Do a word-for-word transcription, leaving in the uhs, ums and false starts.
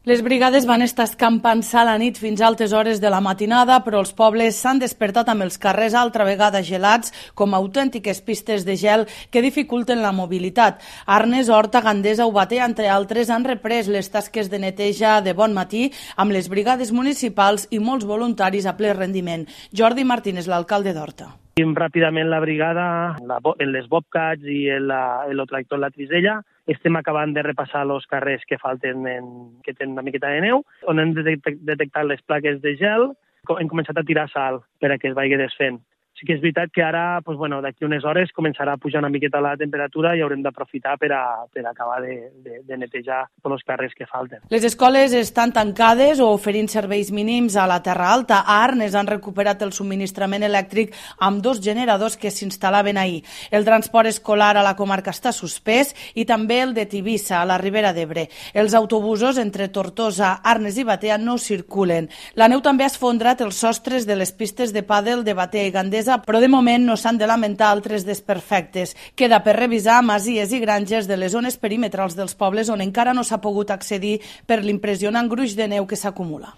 Les brigades van estar escampant a la nit fins a altes hores de la matinada, però els pobles s'han despertat amb els carrers altra vegada gelats, com autèntiques pistes de gel que dificulten la mobilitat. Arnes, Horta, Gandesa o Batea, entre altres, han reprès les tasques de neteja de bon matí amb les brigades municipals i molts voluntaris a ple rendiment. Jordi Martínez, l'alcalde d'Horta. Ràpidament la brigada, en les Bobcats i el tractor La Trisella, estem acabant de repassar els carrers que falten, que tenen una miqueta de neu, on hem detectat les plaques de gel, hem començat a tirar sal per a que es vagi desfent. Sí que és veritat que ara, doncs, bueno, d'aquí unes hores, començarà a pujar una miqueta la temperatura i haurem d'aprofitar per a, per a acabar de, de, de netejar tots els carrers que falten. Les escoles estan tancades o oferint serveis mínims a la Terra Alta. A Arnes han recuperat el subministrament elèctric amb dos generadors que s'instal·laven ahir. El transport escolar a la comarca està suspès i també el de Tivissa, a la Ribera d'Ebre. Els autobusos entre Tortosa, Arnes i Batea no circulen. La neu també ha esfondrat els sostres de les pistes de pàdel de Batea i Gandesa, però de moment no s'han de lamentar altres desperfectes. Queda per revisar masies i granges de les zones perimetrals dels pobles on encara no s'ha pogut accedir per l'impressionant gruix de neu que s'acumula.